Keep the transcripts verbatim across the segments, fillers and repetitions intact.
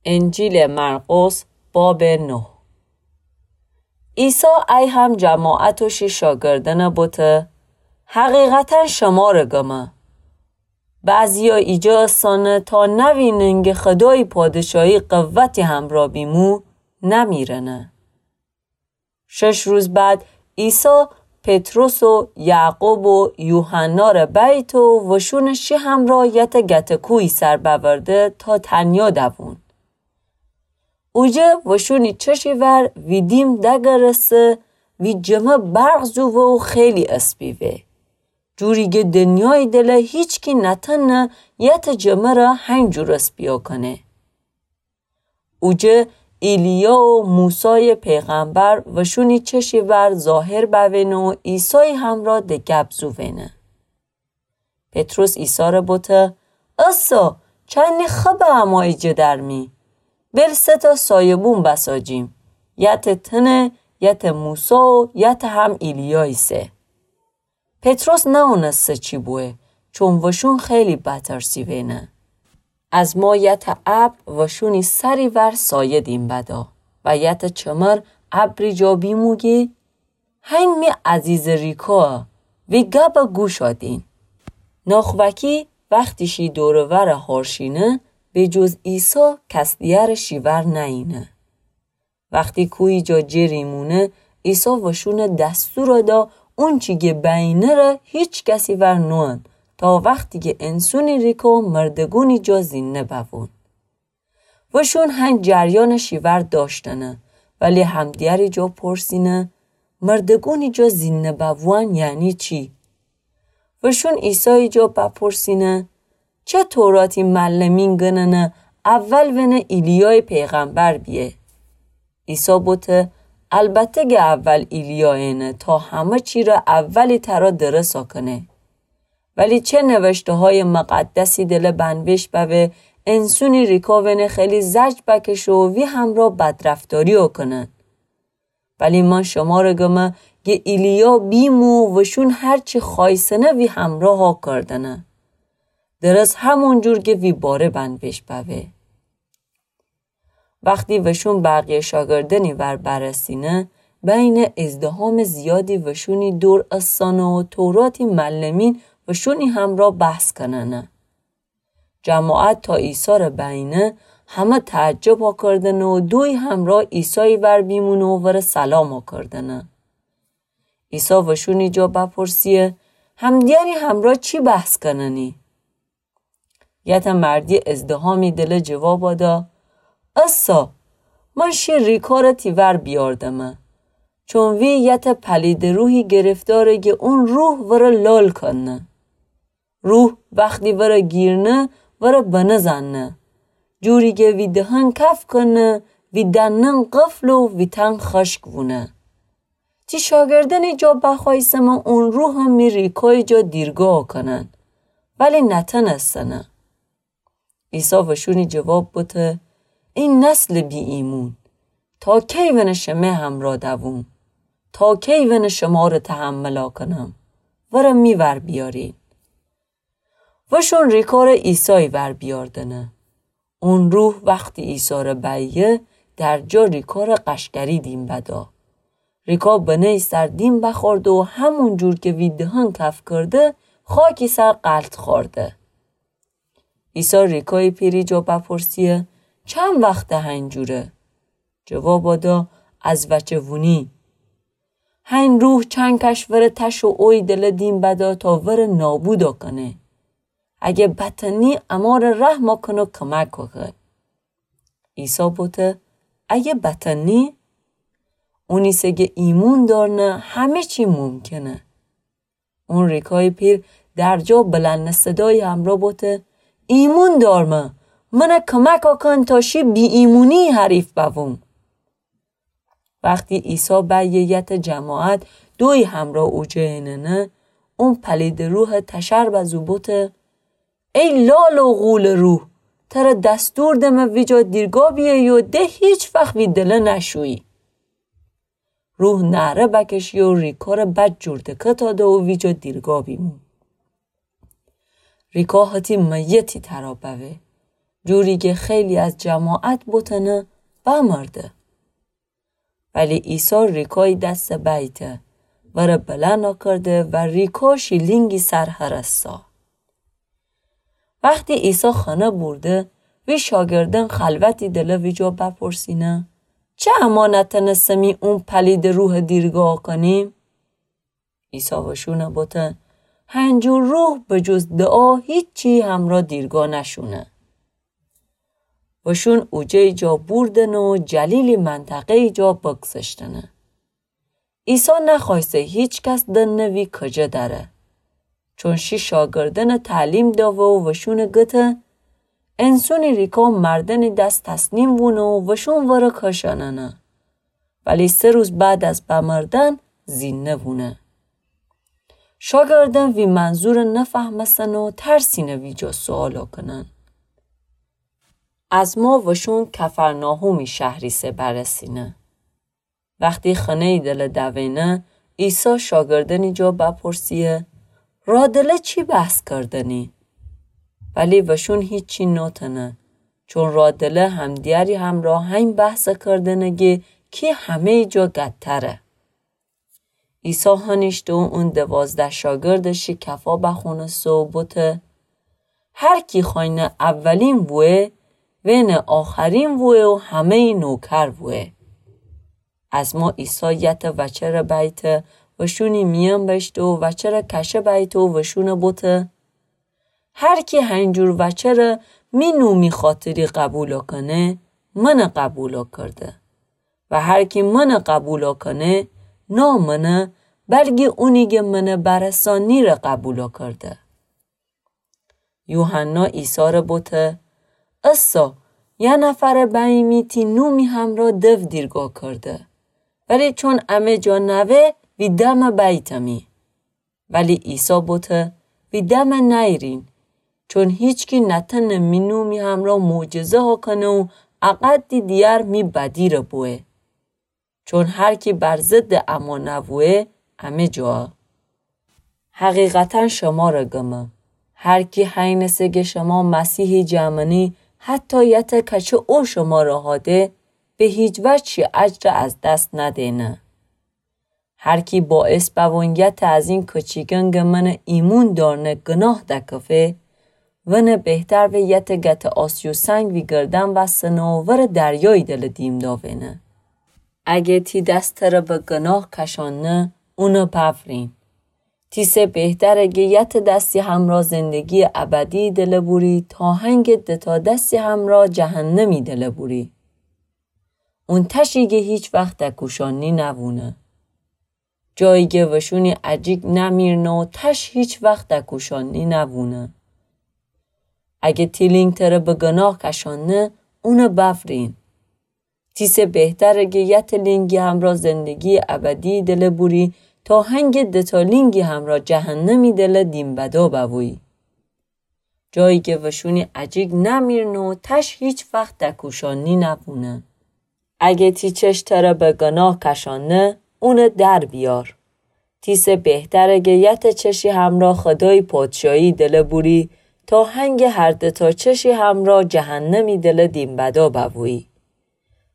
انجیلٚ مرقس، بابٚ نه. عیسی ای هم جماعت و شی شاگردأنَ بوته: حقیقتاً شمرَ گمه، بعضیا ایجا اسانه تا نوینن کی خودای پادشاهی قوتی همرأ بیمو نمیرنه. شش روز بعد عیسی پطرس و یعقوب و یوحنارَ بیته و وشونَ شی همرأ یتأ گتکویی سر بأورده تا تنیا دوون. اوجه وشونی چشی ور وی دیم دگرسه، وی جمه برق زووه و خیلی اسپیوه. جوری کی دنیای دله هیچکی نتأنه یتأ جمه ره هینجور اسپیا کنه. اوجه ایلیا و موسای پیغمبر وشونی چشی ور ظاهر بوینه و عیسای همرأ د گب زووینه. پطرس عیسی‌ره بوته: اسه، چنی خبه اما ایجه درمی؟ بیل سه‌تأ سایه‌بون بساجیم، یتأ تنه، یتأ موسی و یتأ هم ایلیا ایسه. پطرس نأنسته چی بوه، چون وشون خیلی بترسیوینه. از ما یتأ ابر وشونی سری ور سایه دیم بدا و یتأ چمر ابری جا بیمو گی: هین می عزیزٚ ریکاه، وی گبَ گوش دین. ناخوأکی وختی شی دور و ورَ هارشینه، به جز عیسی کس دیگرٚ شی ور نأیینه. وختی کویی جا جری مونه، عیسی وشونَ دستور دا اونچی کی بینه ره هیچ کسی ور نوئن، تا وختی کی انسونی ریکا مردگونی جا زینده بوون. وشون هین جریانَ شی ور دأشتنه، ولی همدیگری جا پرسینه: مردگونی جا زینده بووأن یعنی چی؟ وشون عیسای جا بپرسینه: چه توراتی معلمین گننه اول وینه ایلیای پیغمبر بیه؟ عیسی بوته: البته کی اول ایلیا اینه تا همه چی ره اولی تره درسَ کنه. ولی چه نوشته‌های مقدسی دله بنوشت بوه انسونی ریکا وینه خیلی زج بکشه و وی همرأ بدرفتاریَ کنه؟ ولی من شمرَ گمه کی ایلیا بیمو و وشون هر چی خوأیسنه وی همرأ هاکردنه، درست همونجور کی وی باره بنوشت بوه. وختی وشون بقیه شاگردأنی ور برسینه، بینه ازدحامٚ زیادی وشونی دور اسانه و توراتی معلمین وشونی همرأ بحث کننه. جماعت تا عیسی‌ره بینه، همه تعجب هاکردنه و دویی همرأ عیسای ور بیمونه و وره سلام هاکردنه. عیسی وشونی جا بپرسیه: همدیگری همرأ چی بحث کننی؟ یتأ مردی ازدحامی دله جواب دا: اسه، من شی ریکاره تی ور بیاردمه، چون وی یتأ پلیدٚ روحی گرفتاره کی اون روح وره لال کنه. روح وختی وره گیرنه، وره بنه زنه، جوری کی وی دهن کف کنه، وی دندان قفل و وی تن خشک وونه. تی شاگردأنی جا بخوأیسمه اون روحَ می ریکای جا دیرگاه کنن، ولی نتأنستنه. عیسی وشونی جواب بوته: ای نسلٚ بی‌ایمون، تا کی وینه شمه همرأ دووم؟ تا کی وینه شمره تحمل کنم؟ وره می ور بیارین. وشون ریکاره عیسای ور بیاردنه. اون روح وختی عیسی‌ره بأیه، در جا ریکاره قشقری دیم بدا. ریکا بنه‌یی سر دیم بخورده و همونجور کی وی دهن کف کرده، خاکی سر غلط خورده. عیسی ریکای پیری جا بپرسیه: چند وخته هینجوره؟ جواب دا: از وچه وونی. هین روح چنکش وره تش و اوی دله دیم بدا تا وره نابود کنه. اگه بتأنی امره رحم کن و کمک کن. عیسی بوته: اگه بتأنی؟ اونیسه کی ایمون دارنه همه چی ممکنه. اون ریکای پیر در جا بلند صدای همرا بوته: ایمون دارمه، منه کمک کن تا شی بی‌ایمونی حریف بووم. وختی عیسی بأیه یتأ جماعت دویی همرا اوجه ایننه، اون پلیدٚ روحٚ تشر بزو بوته: ای لال و غولٚ روح، تره دستور دمه ویجا دیرگا بیأیی و ده هیچ وخت وی دله نشویی. روح نعره بکشی و ریکاره بدجور دکه تاده و ویجا دیرگا بیمو. ریکا هتی میتی ترا بوه. جوری گه خیلی از جماعت بوتنه بمرده. ولی عیسی ریکای دس بیته، وره بلند کرده و ریکا شی لینگی سر هرسا. وختی عیسی خانه بورده، وی شاگردن خلوتی دله ویجا بپرسینه: چه اما نتنسمی اون پلید روح دیرگا کنیم؟ عیسی وشونه بوته: هنجور روح به جز دعا هیچی همرا دیرگا نشونه. وشون اوجه جا بوردنه و جلیلی منطقه جا بگذشتنه. عیسی نخوایسته هیچ کس دنه وی کجه دره. چون شی شاگردن تعلیم داوه و وشون گته: انسونی ریکا مردنی دس تسلیم وونه و وشون وره کشاننه. ولی سه روز بعد از بمردن زینده وونه. شاگردن وی منظور نفهمستن و ترسینه ویجا سوال کنن. از ما وشون کفرناحومی شهری سه برسینه. وختی خانه‌ای دله دوینه، عیسی شاگردنی جا بپرسیه: رادله چی بحث کردنی؟ ولی وشون هیچی نوتنه، چون رادله همدیاری همرا هین بحث کردنه گه کی همه‌ای جا گدتره. عیسی هنیشته و اون دوازده شاگردشی کفا بخونسته و بوته: هر کی خاینه اولین بوه، وینه آخرین بوه و همه‌ای نوکر بوه. از ما عیسی یته وچره بیته وشونی میان بشته و وچره کشه بیته و وشونه بوته: هر کی هنجور وچره می نومی خاطری قبول کنه، منه قبول کرده. و هر کی منه قبول کنه، نه منه، بلکی اونی گه منه برسانی ره قبول کرده. یوحنا عیسی ره بوته: اسا، یه نفر بیمی تی نومی همرا دو دیرگا کرده. ولی چون امه جا نوه، وی دم بیتمی. ولی عیسی بوته: وی دم نیرین، چون هیچکی نتنه می نومی همرا معجزه ها کنه و اقدی دیار می بدی ره بوه. چون هر کی بر ضد اما نووه، امه جا. حقیقتا شما ره گمه، هر کی هینسه گه شما مسیحی جمنی، حتی یته کچه او شما ره هاده، به هیچ وجه شی اجر از دست ندینه. هر کی باعث بوون یته از این کچیگن گه منه ایمون دارنه گناه دکفه، ونه بهتر وه یته گته آسیو سنگ وی گردن وسنه و وره دریایی دله دیم داوینه. اگه تی دست تره به گناه کشاننه، اونه بورین. تیسه بهتره گه یته دستی همرا زندگی ابدی دله بوری تا هنگه دتا دستی همرا جهنمی دله بوری. اون تشی گه هیچ وخت دکوشانی نوونه. جایی گه وشونی اجیگ نمیرنه و تش هیچ وخت دکوشانی نوونه. اگه تی لینگ تره به گناه کشاننه، اونه بورین. تیسه بهتره گه یته لینگی همرا زندگی ابدی دله بوری تا هنگه دتا لینگی همرا جهنمی دله دیم بدا بویی. جایی گه وشونی اجیگ نمیرنه و تش هیچ وخت دکوشانی نوونه. اگه تی چش تره به گناه کشاننه، اونه در بیار. تیسه بهتره گه یته چشی همرا خدایی پادشاهی دله بوری تا هنگه هر دتا چشی همرا جهنمی دله دیم بدا بویی.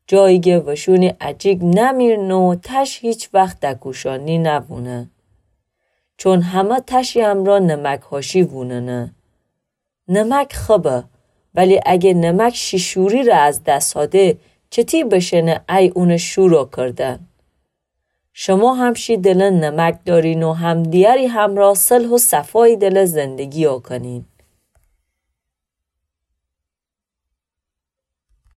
جایی گه وشونی اجیگ نمیرنه و تش هیچ وخت دکوشانی نوونه. چون همه تشی همرا نمک هاشی ووننه. نمک خبه، ولی اگه نمک شی شوری ره از دس هاده، چتی بشنه ای اونه شورا کردن؟ شما هم شی دله نمک دارین و همدیاری همرا صلح و صفایی دله زندگی ها کنین.